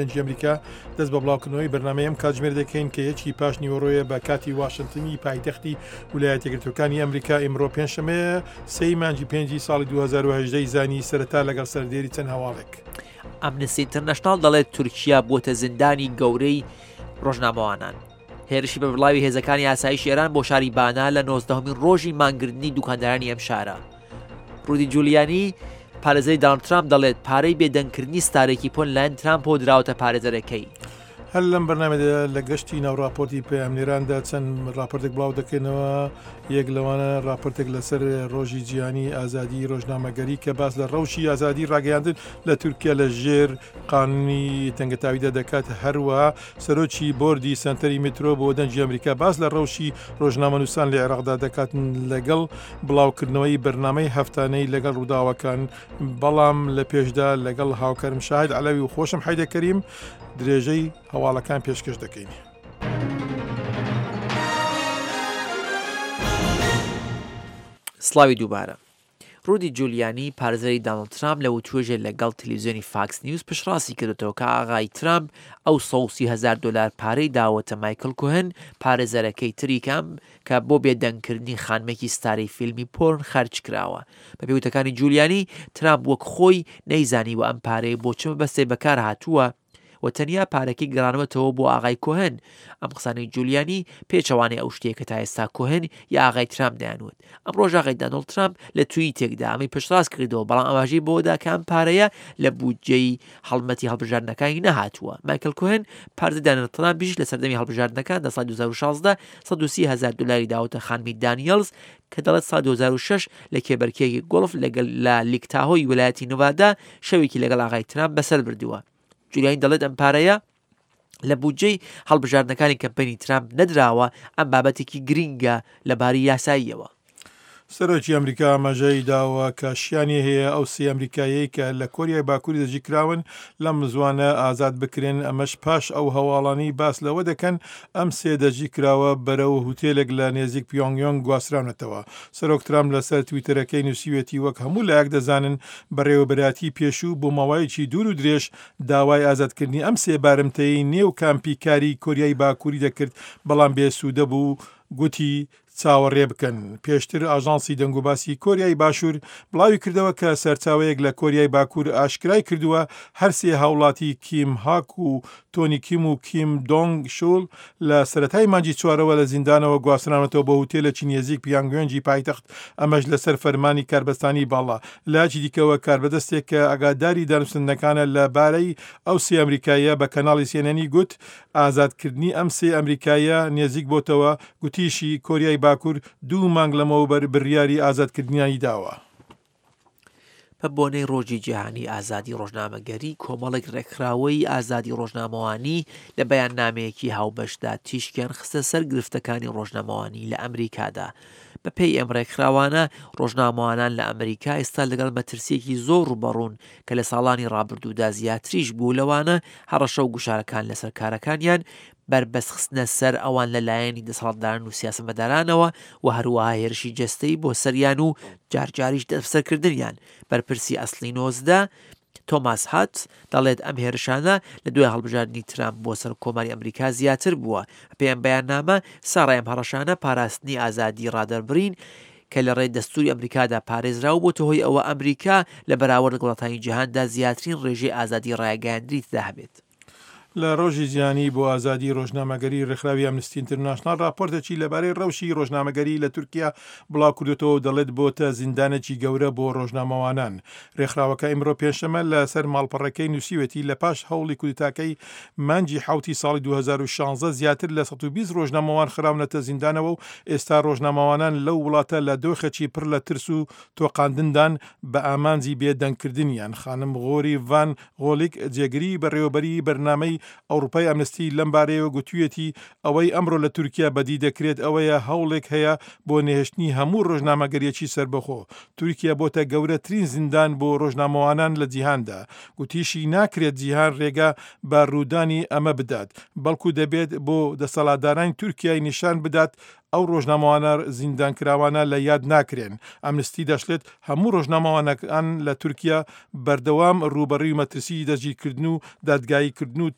دەنگی ئەمریکا دەست بە بڵاوکردنەوەی بەرنامەی ئەم کاتژمێر دەکەین کە یەکی پاش نیوەڕۆیە بە کاتی واشنتنی پایتەختی ولایەتە یەکگرتووەکانی ئەمریکا ئیمڕۆ پێنجشەممەیە سێی مانگی پێنجی ساڵی 2018 زانی سەرەتا لەگەڵ سەردێری چەند هەواڵێک. ئەمنستی ئینتەرنەشناڵ دەڵێت تورکیا بووەتە زیندانی گەورەی ڕۆژنامەوانان. هێرشی بەربڵاوی هێزەکانی ئاسایشی ئێران بۆ شاری بانە لە نۆزدەهەمین ڕۆژی مانگرتنی دوکاندارانی ئەم شارە. ڕودی جولیانی پارێزەری دانڵد ترامپ دەڵێت پارەی بێدەنگکردنی ستارێکی پۆن لایەن ترامپەوە دراوەتە پارێزەرەکەی. هەر لەم بەرنامەدا لە گەشتی ناو راپۆرتی پەیامنێراندا چەند راپۆرتێک بڵاو دەکەینەوە یەک لەوانە راپۆرتێک لەسەر ڕۆژی جیهانی ئازادی ڕۆژنامەگەری کە باس لە ڕەوشی ئازادی ڕاگەیاندن لە تورکیا لە ژێر قانونی تەنگەتاویدا دەکات هەروەها سەرۆکی بۆردی سەنتەری میترۆ بۆ دەنگی ئەمریکا باس لە ڕەوشی ڕۆژنامەنووسان لە عێراقدا دەکات لەگەڵ بڵاوکردنەوەی بەرنامەی هەفتانەی لەگەڵ ڕووداوەکان بەڵام لە پێشدا لەگەڵ هاوکارم شاهد عەلەوی و خۆشم حەیدە کەریم درێژەی هەواڵەکان پێشکەش دەکەین. سڵاوی دووبارە. ڕودی جولیانی، پارێزەری دانڵد ترامپ لە وتوێژێ لە گەڵ تەلەفزیۆنی فاکس نیوز پشتڕاستی کردۆتەوە کە ئاغای ترامپ ئەو 130 هەزار دۆلار پارەی داوەتە مایکڵ کوهن، پارێزەرەکەی تری کە کە بۆ بێدەنگ کردنی خانمێکی ستارەی فیلمی پۆرن خەرج کراوە. بە پێی وتەکانی جولیانی، ترامپ وەک خۆی نەیزانیوە ئەم پارەیە بۆ چ مەبەستێک بەکار هاتووە، و تەنیا پارەکەی گەڕانوەتەوە بۆ ئاغای کۆهن. ئەم قسانەی جولیانی پێچەوانەی ئەو شتەیە کە تا ئێستا کۆهن یا ئاغای ترامپ دەیانوت. ئەمڕۆش ئاغای دانۆڵد ترامپ لە تویتێکدا ئەمەی پشتڕاست کردەوە، بەڵام ئاماژەی بەوەدا کە ئەم پارەیە لە بودجەی هەڵمەتی هەڵبژاردنەکانی نەهاتووە. مایکل کۆهن، پارێزەری دانۆڵد ترامپیش لە سەردەمی هەڵبژاردنەکان لە ساڵی 2016 130 هەزار دۆلاری داوەتە خانمی دانیێڵز کە دەڵێت ساڵی 2006 لە کێبەرکێیەکی گۆڵف لەگەل لە لیک تاهۆی ویلایەتی نڤادا شەوێکی لەگەڵ ئاغای ترامپ بەسەر بردووە. جولیانی دەڵێت ئەم پارەیە لە بودجەی هەڵبژاردنەکانی کەمپەینی ترامپ نەدراوە، ئەم بابەتێکی گرینگە لە باری یاساییەوە. سەرۆکی ئەمریکا ئاماژەی داوە کە شیانی هەیە ئەو سێ ئەمریکاییەی کە لە کۆریای باکووری دەستگیرکراون لەم زووانە ئازاد بکرێن، ئەمەش پاش ئەو هەواڵانەی باس لەوە دەکەن ئەم سێ دەستگیرکراوە بەرەو هوتێلێک لە نێزیک پیۆنگیۆنگ گواستراونەتەوە. سەرۆک ترامپ لەسەر تویتەرەکەی نووسیویەتی وەک هەموو لایەک دەزانن بەڕێوەبەرایەتی پێشوو بۆ ماوەیەکی دوور و درێژ داوای ئازادکردنی ئەم سێ بارمتەیەی نێو کامپی کاری کۆریای باکووری دەکرد بەڵام بێ سوودە بوو گوتی چاوەڕێ بکەن. پێشتر ئاژانسی دەنگوباسی کۆریای باشوور بڵاویکردەوە کە سەرچاوەیەک لە کۆریای باکوور ئاشکرای کردووە هەرسێ هاوڵاتی کیم هاک و تۆنی کیم و کیم دۆنگ شول لە سەرەتای مانگی چوارەوە لە زیندانەوە گواستراونەتەوە بۆ هوتێلێکی نێزیک پیانگیۆنگی پایتەخت، ئەمەش لەسەر فەرمانی کاربەستانی باڵا. لایەکی دیکەوە کاربەدەستێک کە ئاگاداری دانوستندنەکانە لە بارەی ئەو سێ ئەمریکاییە بە کەناڵی سی ئێن ئێنی گوت ئازادکردنی ئەم سێ ئەمریکاییە نێزیک بۆتەوە، گوتیشی کۆریای باکور دوو مانگ لەمەوبەر بریاری ئازادکردنیانی داوە. بە بۆنەی ڕۆژی جیهانی ئازادی ڕۆژنامەگەری، کۆمەڵێک ڕێکخراوەی ئازادی ڕۆژنامەوانی لە بەیاننامەیەکی هاوبەشدا تیشکیان خستە سەر گرفتەکانی ڕۆژنامەوانی لە ئەمریکادا. بە پێی ئەم ڕێکخراوانە، ڕۆژنامەوانان لە ئەمریکا ئێستا لەگەڵ مەترسییەکی زۆر ڕووبەڕوون کە لە ساڵانی ڕابردوودا زیاتریش بوو، لەوانە هەڕەشە و گوشارەکان لەسەر کارەکانیان، بەربەست خستنە سەر ئەوان لە لایەنی دەسەڵاتداران و سیاسەتمەدارانەوە و هەروەها هێرشی جەستەیی بۆ سەریان و جارجاریش دەستبەسەرکردنیان. بەرپرسی ئەسڵی 19، تۆماس هاتس دەڵێت ئەم هێرشانە لە دوای هەڵبژاردنی ترامپ بۆ سەرۆک کۆماری ئەمریکا زیاتر بووە. بەپێی ئەم بەیاننامە، سەڕای ئەم هەڕەشانە، پاراستنی ئازادی ڕادەربڕین کە لە ڕێی دەستووری ئەمریکادا پارێزراو بۆتە هۆی ئەوە ئەمریکا لە بەراورد لەگەڵ وڵاتانی جیهاندا زیاترین ڕێژەی ئازادی ڕاگەیاندنی تێدا هەبێت. لە ڕۆژی جیهانی بۆ ئازادی ڕۆژنامەگەری ڕێکخراوی ئەمنستی ئینتەرناشناڵ ڕاپۆرتێکی لەبارەی ڕەوشی ڕۆژنامەگەری لە تورکیا بڵاوکردۆتەوە و دەڵێت بۆتە زیندانێکی گەورە بۆ ڕۆژنامەوانان. ڕێکخراوەکە ئیمڕۆ پێنجشەممە لە سەر ماڵپەڕەکەی نووسیوێتی لە پاش هەوڵی کودتاکەی مانگی حەوتی ساڵی 2016 زیاتر لە 120 ڕۆژنامەوان خراونەتە زیندانەوە و ئێستا ڕۆژنامەوانان لەو وڵاتە لە دۆخێکی پڕ لە ترس و تۆقاندندان بە ئامانجی بێدەنگکردنیان. خانم غۆری ڤان غۆلیک، جێگری بەڕێوەبەری بەرنامەی. ئەوڕوپای ئەمنستی لەم بارەیەوە گوتوویەتی ئەوەی ئەمڕۆ لە تورکیا بەدی دەکرێت ئەوەیە هەوڵێک هەیە بۆ نەهێشتنی هەموو ڕۆژنامەگەرییەکی سەربەخۆ. تورکیا بۆتە گەورەترین زیندان بۆ ڕۆژنامەوانان لە جیهاندا. گوتیشی ناکرێت جیهان ڕێگا بە ڕوودانی ئەمە بدات، بەڵکو دەبێت بۆ دەسەڵاتدارانی تورکیای نیشان بدات ئەو ڕۆژنامەوانە زیندانکراوانە لە یاد ناکرێن. ئەمنستی دەشڵێت هەموو ڕۆژنامەوانەکان لە تورکیا بەردەوام ڕووبەڕووی مەترسیی دەستگیرکردن و دادگاییکردن و.